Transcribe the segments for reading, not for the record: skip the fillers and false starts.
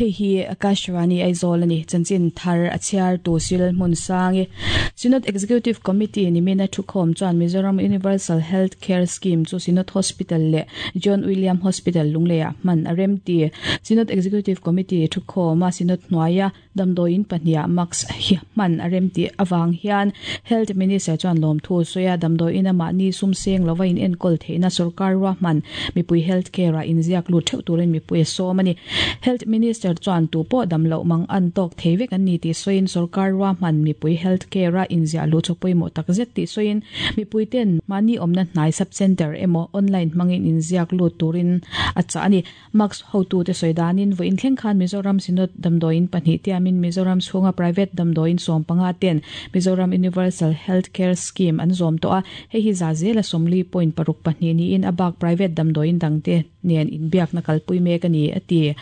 Hei hi Akashvani Aizawl a ni. Chanchin thar a chhiar tu Sil Hmunsangi. Synod Executive Committee nimina thukhawm chuan Mizoram Universal Health Care Scheme chu Synod Hospital leh John William Hospital Lungleiah hman a rem ti. Synod Executive Committee thukhawma Synod hnuaia Damdawiin pahniha mask hi hman a rem tih avang hian Health Minister chuan lawmthu a sawi a, damdawiin a mahni sum seng lova in enkawl theihna sorkar ruahman mipui health care ah inziak lut theuh turin mipui a sawm a ni. Health Minister chuan tu pawh dam loh mang an tawk thei vek an ni tih sawiin sorkar ruahman mipui health care a inziah luh chu pawimawh tak zet tih sawiin mipui ten mahni awmna hnai sub centre emaw online hmangin inziak lut turin a chah a ni. Max hotute sawi danin vawiin thleng khan Mizoram Synod damdawiin pahnih tiamin Mizoram chhunga private damdawiin 15 ten Mizoram Universal Health Care Scheme an zawm tawh a, hei hi za zela 40.62 niin a bak private damdawiin dangte nen inbiakna kalpui mek a ni, a ti.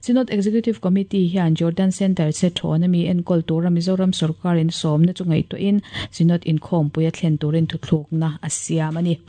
Synod Executive Committee hian Jordan Centre che thawn ami enkawl tura Mizoram sorkarin sawmna chu ngaihtuahin Synod inkhawmpui a thlen turin thuthlukna a siam a ni.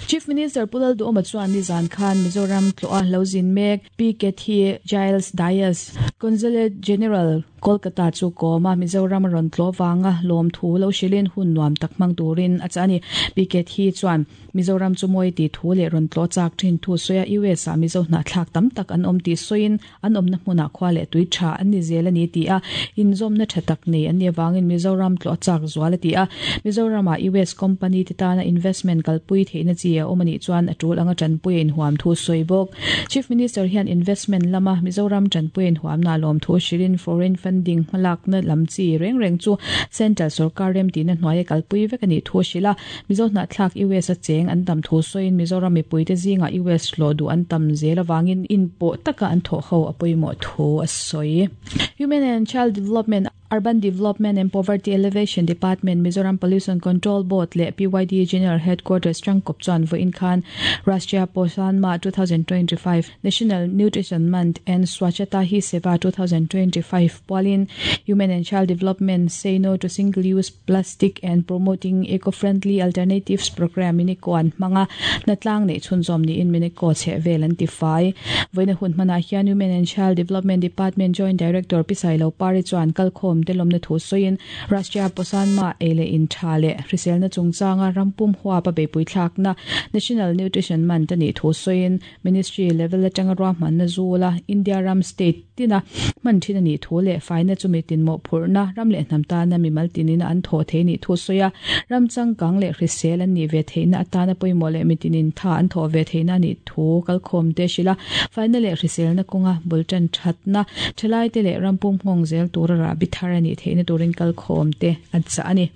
Chief Minister Pu Lalduhawma chuan nizan khan Mizoram tlawha lo zin mek Pi Kathy Giles Dias, Consulate General, Kolkata chu kawma Mizoram a rawn tlawh vanga lawmthu lo hrilhin hun nuam tak hmang turin a chah a ni. Pi Kathy chuan Mizoram chu mawi tih thu leh rawn tlawh chak thin thu sawi a, US ah Mizo hnahthlak tam tak an awm tih sawiin An awmna hmunah khua leh tui tha an ni zel a ni ti a, inzawmna tha tak nei an nih avangin Mizoram tlawh a chak zual a ti a. Mizoramah US company te tana investment kalpui theihna chi a awm a nih chuan a tul anga tanpui a inhuam thu sawi bawk. Chief Minister hian investment lama Mizoram tanpui a inhuamna a lawm thu hrilhin foreign funding hmalakna lam chi reng reng chu central sorkar remtihna hnuaia kalpui vek a nih thu a hrilh a. Mizo hnahthlak US a cheng an tam thu sawiin Mizoram mipuite zingah US hlawh duh an tam zel avangin inpawh taka an thawh ho a pawimawh thu a sawi. Human and Child Development, Urban Development and Poverty Alleviation Department, Mizoram Pollution Control Board leh PYD General Headquarters tangkawp chuan vawiin khan Rashtriya Poshan Maah 2025, National Nutrition Month and Swachhata Hi Seva 2025 pualin Human and Child Development Say No to Single Use Plastic and Promoting Eco-Friendly Alternatives Programme Minico an hmang a, hnatlang neih chhunzawm niin Minico chhehvel an ti fai. Vawiina hun hmanah hian Women and Child Development Department Joint Director Pi Sailo Pari chuan kalkhawm te lawmna thu sawiin Rashtriya Poshan Maah ei leh in tha leh hriselna chungchanga rampum huapa beihpui thlakna National Nutrition Month a nih thu sawiin Ministry level atanga ruahmanna zula India ram state tina hman thin a nih thu leh faina chu mi tinmawh phurhna ram leh hnam tana mimal tinina an thawh thei nih thu sawi a, ram changkang leh hrisel an nih ve theihna atana pawimawh leh mitinin tha an thawh ve theihna a nih thu kalkhawm te hrilh a, faina leh hriselna kawnga bul tan thatna thalaite leh ram pum nghawng zel tura rahbi thar a nih theihna turin kalkhawm te a chah a ni.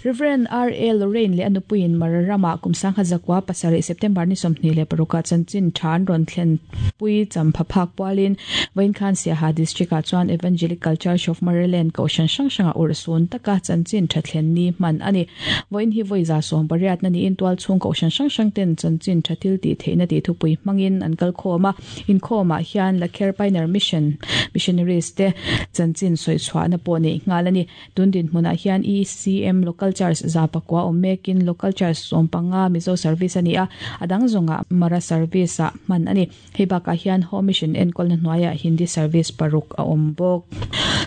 Rev. R. A. Lorraine leh a nupuiin Mara ramah kum sangha zakua pasarih September ni 26 ah chanchin tha an rawn thlen pui champha phak pualin vawiin khan Siaha District ah chuan Evangelical Church of Maryland kohhran hrang hrangah urhsun taka chanchin tha thlen ni hman a ni. Vawiin hi vawi za sawm pariatna niin tualchhung kohhran hrang hrang ten chanchin tha thil tih theihna tih thupui hmangin an kal khawm a. Inkhawmah hian Lakher Pioneer Mission Missionaries te chanchin sawi chhuahna pawh neih nghal a ni. Tun dinhmunah hian ECM Local Church za pakua awm mekin Local Church 15 Mizo Service a ni a, a dang zawngah Mara Service ah hman a ni. Hei bakah hian Home Mission enkawlna hnuaiah Hindi Service paruk a awm bawk.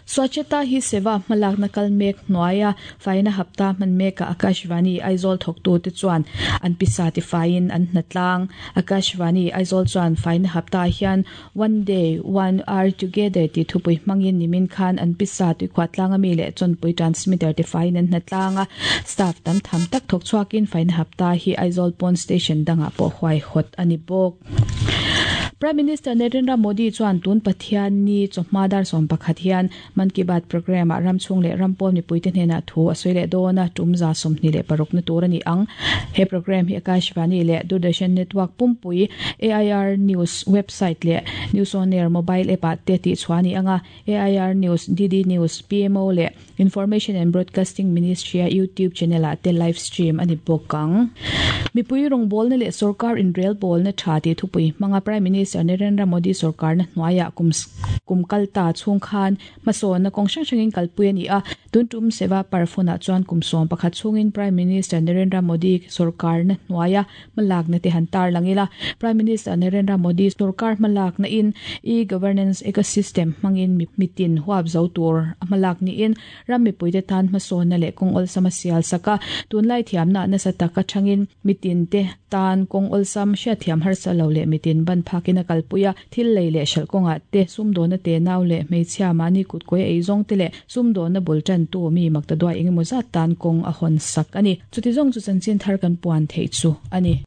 Swachhata Hi Seva hmalakna kal mek hnuaia Faina hapta hman mekah Akashvani Aizawl thawktute chuan an pisa tifaiin an hnatlang. Akashvani Aizawl chuan faina hapta hian One Day, One Hour Together tih thupui hmangin nimin khan an pisa tuikhuah tlanga mi leh chawnpui transmitter tifaiin an hnatlang a. Staff tam tham tak thawk chhuakin faina hapta hi Aizawl pawn station dangah pawh huaihawt a ni bawk. Prime Minister Narendra Modi chuan tun Pathianni chawhma dar 11 hian Man Ki Baat programme ah ram chhung leh ram pawl mipuite hnenah thu a sawi leh dawn a, tum 26 na tur a ni ang. He programme hi Akashvani leh Doordarshan Network pumpui, AIR News website leh News On Air mobile app ah te tihchhuah a ni ang a, AIR News, DD News, PMO leh Information and Broadcasting Ministry-a YouTube channel ah te live stream a ni bawk ang. Mipui rawngbawlna leh sorkar inrelbawlna tha tih thupui hmanga Prime Minister. Minister Narendra Modi sorkarna hnuaiah kum kum kal ta chhung khan hmasawnna kawng hrang hrangin kalpui a ni a. Tun tum Seva Parv hunah chuan kum 11 chhungin Prime Minister Narendra Modi sorkarna hnuaia hmalakna te han tarlang ila. Prime Minister Narendra Modi sorkar hmalakna in e-governance ecosystem hmangin mitin huap zo tur a hmalak niin ram mipuite tan hmasawnna leh kawng awlsam a sial sak a. Tunlai thiamna nasa taka thangin mitin te tan kawng awlsam hriatthiam harsa lo leh mitin ban phakin a kalpui a. Thil lei leh hralh kawngah te, sumdawnna te nau leh hmeichhia mahni kutkawia ei zawng te leh sumdawnna bul tantu mi makta duai engemaw zat tan kawng a hawn sak a ni. Chuti zawng chu chanchin thar kan puan theih chu a ni.